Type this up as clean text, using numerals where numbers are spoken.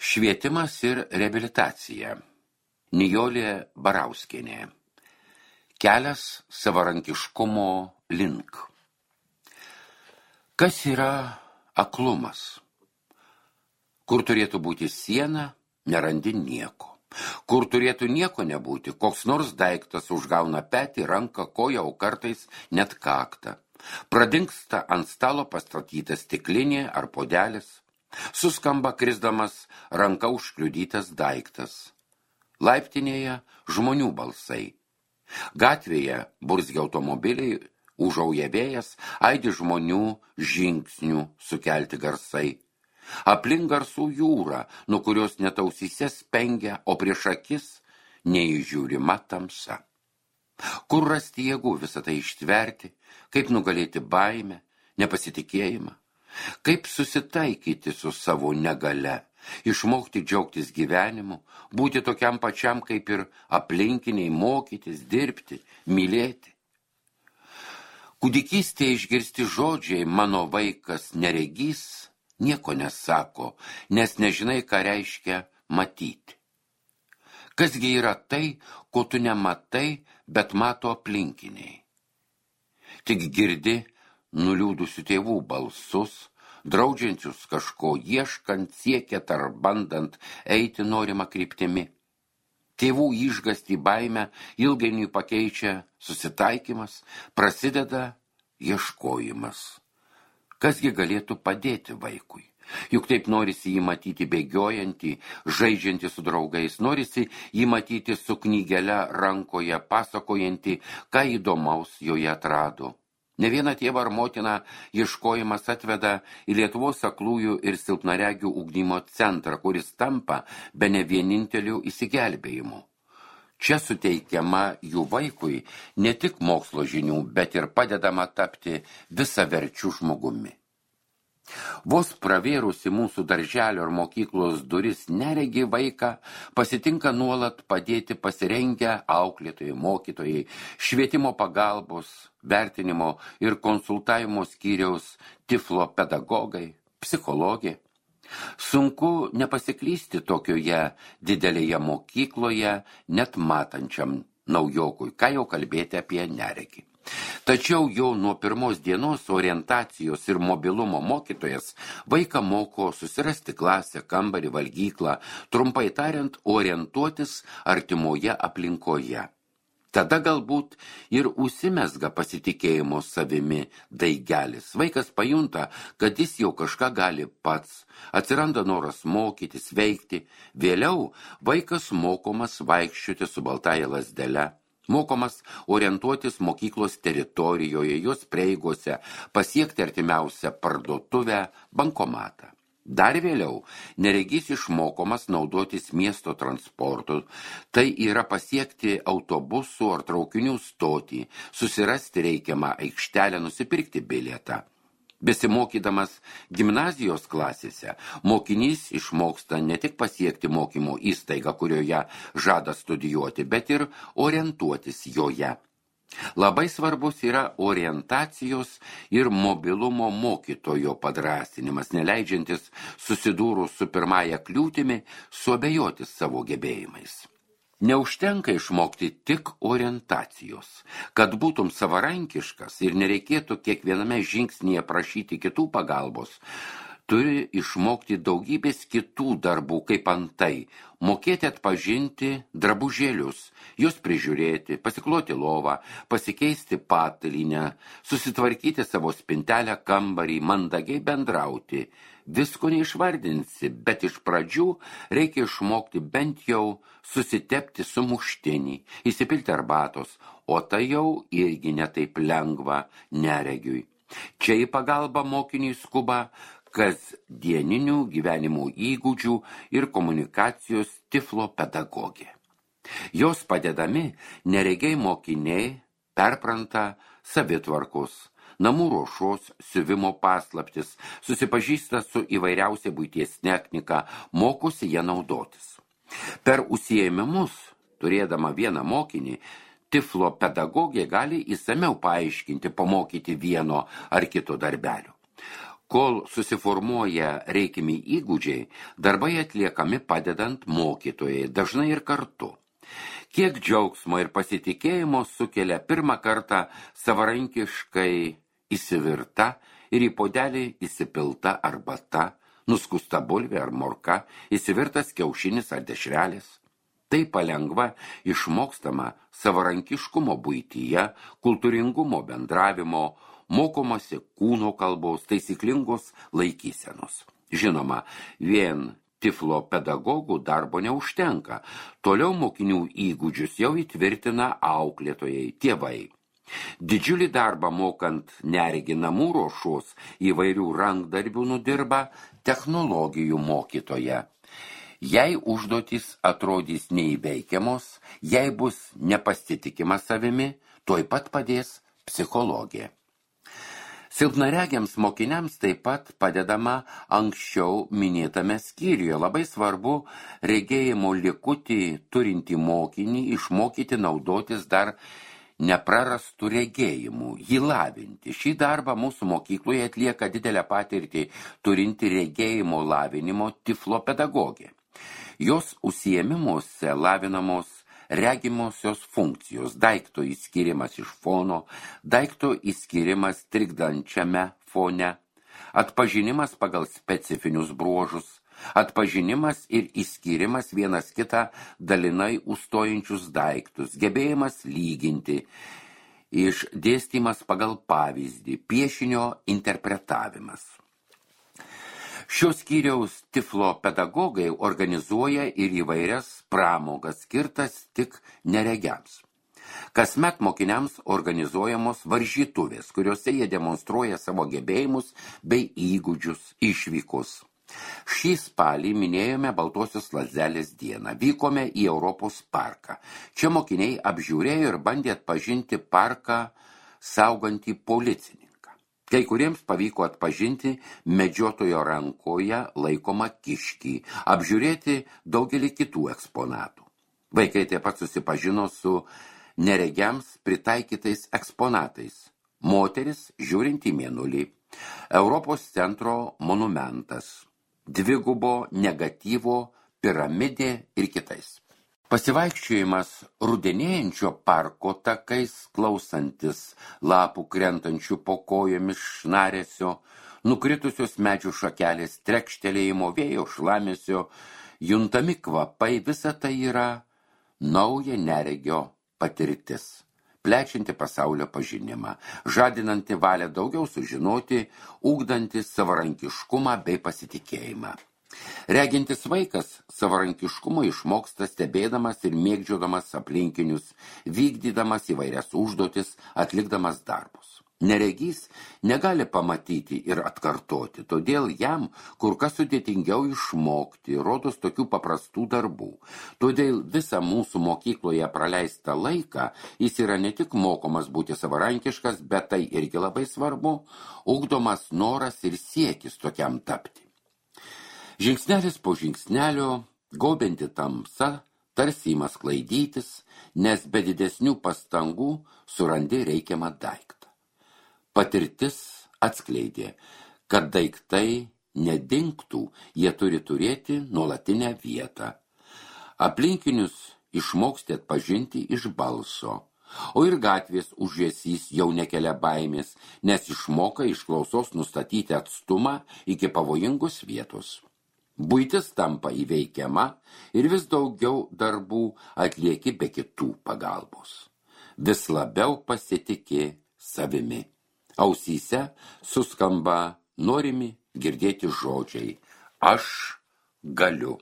Švietimas ir reabilitacija. Nijolė Barauskienė. Kelias savarankiškumo link. Kas yra aklumas? Kur turėtų būti siena, nerandi nieko. Kur turėtų nieko nebūti, koks nors daiktas užgauna petį, ranką, koją, o kartais net kaktą. Pradingsta ant stalo pastatytas stiklinė ar puodelis. Suskamba krisdamas ranka užkliudytas daiktas. Laiptinėje žmonių balsai. Gatvėje burzgia automobiliai, užauja vėjas, aidi žmonių žingsnių sukelti garsai. Aplink garsų jūra, nuo kurios net ausyse spengia, o prieš akis neįžiūrima tamsa. Kur rasti jėgų visą tai ištverti, kaip nugalėti baimę, nepasitikėjimą? Kaip susitaikyti su savo negale, išmokti džiaugtis gyvenimu, būti tokiam pačiam kaip ir aplinkiniai, mokytis, dirbti, mylėti. Kūdikystėje išgirsti žodžiai mano vaikas neregys nieko nesako, nes nežinai, ką reiškia matyti. Kasgi yra tai, ko tu nematai, bet mato aplinkiniai. Tik girdi nuliūdusių tėvų balsus, draudžiančius kažko ieškant, siekiant ar bandant eiti norimą kryptimi. Tėvų išgąstį baimę ilgainiui pakeičia susitaikymas, prasideda ieškojimas. Kasgi galėtų padėti vaikui? Juk taip norisi jį matyti bėgiojantį, žaidžiantį su draugais, norisi jį matyti su knygele rankoje, pasakojantį, ką įdomaus joje atrado. Ne vieną tėvą ar motiną ieškojimas atveda į Lietuvos aklųjų ir silpnaregių ugdymo centrą, kuris tampa bene vieninteliu išsigelbėjimu. Čia suteikiama jų vaikui ne tik mokslo žinių, bet ir padedama tapti visaverčiu žmogumi. Vos pravėrusi mūsų darželio ir mokyklos duris neregi vaiką, pasitinka nuolat padėti pasirengę auklėtojai, mokytojai, švietimo pagalbos, vertinimo ir konsultavimo skyriaus tiflo pedagogai, psichologė. Sunku nepasiklysti tokioje didelėje mokykloje, net matančiam naujokui, ką jau kalbėti apie neregį. Tačiau jau nuo pirmos dienos orientacijos ir mobilumo mokytojas vaiką moko susirasti klasę, kambarį, valgyklą, trumpai tariant, orientuotis artimoje aplinkoje. Tada galbūt ir užsimezga pasitikėjimo savimi daigelis. Vaikas pajunta, kad jis jau kažką gali pats, atsiranda noras mokytis, veikti. Vėliau vaikas mokomas vaikščioti su baltaja lazdele. Mokomas orientuotis mokyklos teritorijoje, jos prieigose, pasiekti artimiausią parduotuvę, bankomatą. Dar vėliau neregys išmokomas naudotis miesto transportu, tai yra pasiekti autobusų ar traukinių stotį, susirasti reikiamą aikštelę, nusipirkti bilietą. Besimokydamas gimnazijos klasėse, mokinys išmoksta ne tik pasiekti mokymo įstaigą, kurioje žada studijuoti, bet ir orientuotis joje. Labai svarbus yra orientacijos ir mobilumo mokytojo padrąsinimas, neleidžiantis susidūrus su pirmąja kliūtimi suabejoti savo gebėjimais. Neužtenka išmokti tik orientacijos. Kad būtum savarankiškas ir nereikėtų kiekviename žingsnyje prašyti kitų pagalbos, turi išmokti daugybės kitų darbų, kaip antai, mokėti atpažinti drabužėlius, juos prižiūrėti, pasikloti lovą, pasikeisti patalynę, susitvarkyti savo spintelę, kambarį, mandagiai bendrauti. Visko neišvardinsi, bet iš pradžių reikia išmokti bent jau susitepti sumuštinį, įsipilti arbatos, o tai jau irgi netaip lengva neregiui. Čia į pagalbą mokiniui skuba kasdieninių gyvenimo įgūdžių ir komunikacijos tiflo pedagogė. Jos padedami neregiai mokiniai perpranta savitvarkos, namų ruošos, siuvimo paslaptis, susipažįsta su įvairiausia buities technika, mokosi ją naudotis. Per užsiėmimus, turėdama vieną mokinį, tiflo pedagogė gali įsamiau paaiškinti, pamokyti vieno ar kito darbelio. Kol susiformuoja reikiami įgūdžiai, darbai atliekami padedant mokytojai, dažnai ir kartu. Kiek džiaugsmo ir pasitikėjimo sukelia pirmą kartą savarankiškai įsivirta ir į puodelį įsipilta arbata, nuskusta bulvė ar morka, įsivirtas kiaušinis ar dešrelis. Tai palengva išmokstama savarankiškumo buityje, kultūringumo bendravimo, mokomasi kūno kalbos, taisyklingos laikysenos. Žinoma, vien tiflo pedagogų darbo neužtenka. Toliau mokinių įgūdžius jau įtvirtina auklėtojai, tėvai. Didžiulį darbą mokant neregį namų ruošos įvairių rankdarbių nudirba technologijų mokytoja. Jei užduotys atrodys neįveikiamos, jei bus nepasitikima savimi, tuoj pat padės psichologė. Silpnaregiams mokiniams taip pat padedama anksčiau minėtame skyriuje. Labai svarbu regėjimo likutį turintį mokinį išmokyti naudotis dar neprarastų regėjimų, jį lavinti. Šį darbą mūsų mokykloje atlieka didelę patirtį turinti regėjimo lavinimo tiflo pedagogė. Jos užsiėmimuose lavinamos regimosios funkcijos, daikto įskyrimas iš fono, daikto įskyrimas trikdančiame fone, atpažinimas pagal specifinius bruožus, atpažinimas ir įskyrimas vienas kitą dalinai užstojančius daiktus, gebėjimas lyginti, išdėstymas pagal pavyzdį, piešinio interpretavimas. Šios skyriaus tiflo pedagogai organizuoja ir įvairias pramogas skirtas tik neregiams. Kasmet mokiniams organizuojamos varžytuvės, kuriuose jie demonstruoja savo gebėjimus bei įgūdžius, išvykus. Šį spalį minėjome Baltosios lazdelės dieną. Vykome į Europos parką. Čia mokiniai apžiūrėjo ir bandė atpažinti parką saugantį policininką. Kai kuriems pavyko atpažinti medžiotojo rankoje laikomą kiškį, apžiūrėti daugelį kitų eksponatų. Vaikai taip pat susipažino su neregiams pritaikytais eksponatais. Moteris žiūrint į mėnulį, Europos centro monumentas, dvigubo negatyvo piramidė ir kitais. Pasivaikščiojimas rudenėjančio parko takais, klausantis lapų krentančių po kojomis šnaresio, nukritusios medžių šakelės trekštelėjimo, vėjo šlamesio, juntami kvapai, visa tai yra nauja neregio patirtis, plečianti pasaulio pažinimą, žadinanti valią daugiau sužinoti, ugdanti savarankiškumą bei pasitikėjimą. Regintis vaikas savarankiškumo išmoksta stebėdamas ir mėgdžiodamas aplinkinius, vykdydamas įvairias užduotis, atlikdamas darbus. Neregys negali pamatyti ir atkartoti, todėl jam kur kas sudėtingiau išmokti, rodos tokių paprastų darbų. Todėl visą mūsų mokykloje praleistą laiką jis yra ne tik mokomas būti savarankiškas, bet tai irgi labai svarbu, ugdomas noras ir siekis tokiam tapti. Žingsnelis po žingsnelio, gaubianti tamsa, tarsi ima sklaidytis, nes be didesnių pastangų surandi reikiamą daiktą. Patirtis atskleidė, kad daiktai nedingtų, jie turi turėti nuolatinę vietą. Aplinkinius išmoksti atpažinti iš balso, o ir gatvės užėsys jau nekelia baimės, nes išmoka iš klausos nustatyti atstumą iki pavojingos vietos. Buitis tampa įveikiama ir vis daugiau darbų atlieki be kitų pagalbos. Vis labiau pasitiki savimi. Ausyse suskamba norimi girdėti žodžiai. Aš galiu.